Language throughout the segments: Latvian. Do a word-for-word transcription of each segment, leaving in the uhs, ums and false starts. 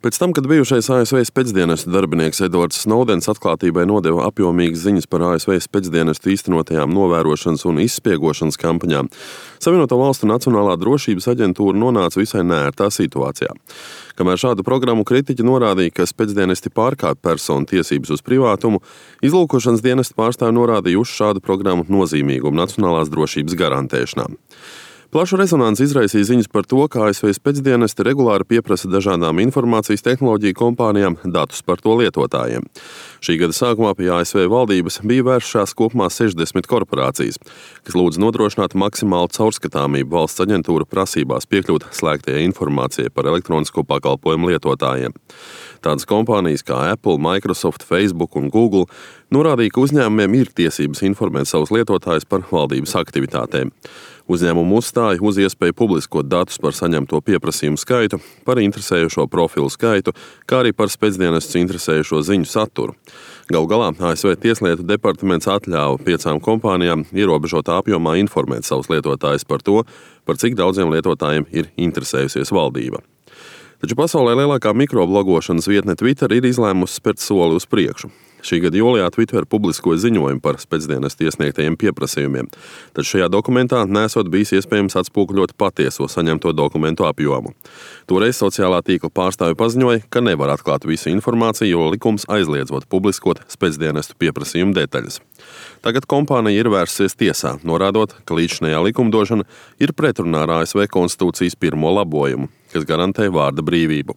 Pēc tam, kad bijušais A S V spēcdienestu darbinieks Edvards Snowdens atklātībai nodeva apjomīgas ziņas par A S V spēcdienestu īstenotajām novērošanas un izspiegošanas kampaņām, Savienoto Valstu Nacionālā drošības aģentūra nonāca visai neērtā situācijā. Kamēr šādu programmu kritiķi norādīja, ka spēcdienesti pārkāpj personu tiesības uz privātumu, izlūkošanas dienesta pārstāvji norādīja uz šādu programmu nozīmīgumu nacionālās drošības garantēšanā. Plašu rezonanci izraisīja ziņas par to, ka A S V spēcdienesti regulāri pieprasa dažādām informācijas tehnoloģiju kompānijām datus par to lietotājiem. Šī gada sākumā pie A S V valdības bija vēršās kopumā sešdesmit korporācijas, kas lūdz nodrošināt maksimālu caurskatāmību valsts aģentūra prasībās piekļūt slēgtajai informācijai par elektronisko pakalpojumu lietotājiem. Tādas kompānijas kā Apple, Microsoft, Facebook un Google norādīja, ka uzņēmumiem ir tiesības informēt savus lietotājus par valdības aktivitātēm. Uzņēmumu uzstāja uz iespēju publiskot datus par saņemto pieprasījumu skaitu, par interesējošo profilu skaitu, kā arī par spēcdienestus interesējošo ziņu saturu. Galu galā A S V Tieslietu departaments atļāva piecām kompānijām ierobežotā apjomā informēt savus lietotājus par to, par cik daudziem lietotājiem ir interesējusies valdība. Taču pasaulē lielākā mikroblogošanas vietne Twitter ir izlēmusi spērt soli uz priekšu. Šī gada jūlijā Twitter publiskoja ziņojumu par spēcdienestu iesniegtajiem pieprasījumiem, taču šajā dokumentā nesot bijis iespējams atspoguļot patieso saņemto dokumentu apjomu. Toreiz sociālā tīkla pārstāvji paziņoja, ka nevar atklāt visu informāciju, jo likums aizliedzot publiskot spēcdienestu pieprasījumu detaļas. Tagad kompānija ir vērsusies tiesā, norādot, ka līdzinējā likumdošana ir pretrunā ar A S V konstitūcijas pirmo labojumu, kas garantē vārda brīvību.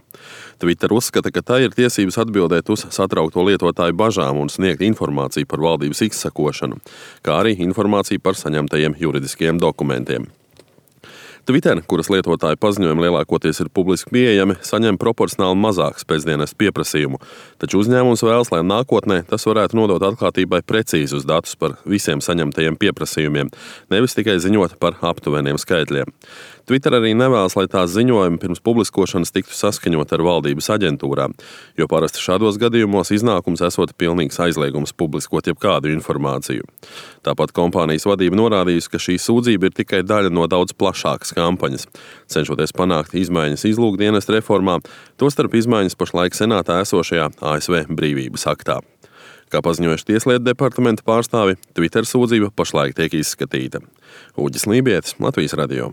Twitter uzskata, ka tā ir tiesības atbildēt uz satraukto lietotāju bažām un sniegt informāciju par valdības izsakošanu, kā arī informāciju par saņemtajiem juridiskiem dokumentiem. Twitter, kuras lietotāju paziņojumi lielākoties ir publiski pieejami, saņem proporcionāli mazāk spēcdienestu pieprasījumu, taču uzņēmums vēlas, lai nākotnē tas varētu nodot atklātībai precīzus datus par visiem saņemtajiem pieprasījumiem, nevis tikai ziņot par aptuveniem skaitļiem. Twitter arī nevēlas, lai tās ziņojumi pirms publiskošanas tiktu saskaņot ar valdības aģentūrām, jo parasti šādos gadījumos iznākums esot pilnīgs aizliegums publiskot jebkādu informāciju. Tāpat kompānijas vadība norādījusi, ka šī sūdzība ir tikai daļa no daudz plašākas kampaņas, cenšoties panākt izmaiņas izlūkdienestu reformā, tostarp izmaiņas pašlaik senātā esošajā A S V brīvības aktā. Kā paziņojuši Tieslietu departamenta pārstāvi, Twitter sūdzība pašlaik tiek izskatīta. Uģis Lībietis, Latvijas radio.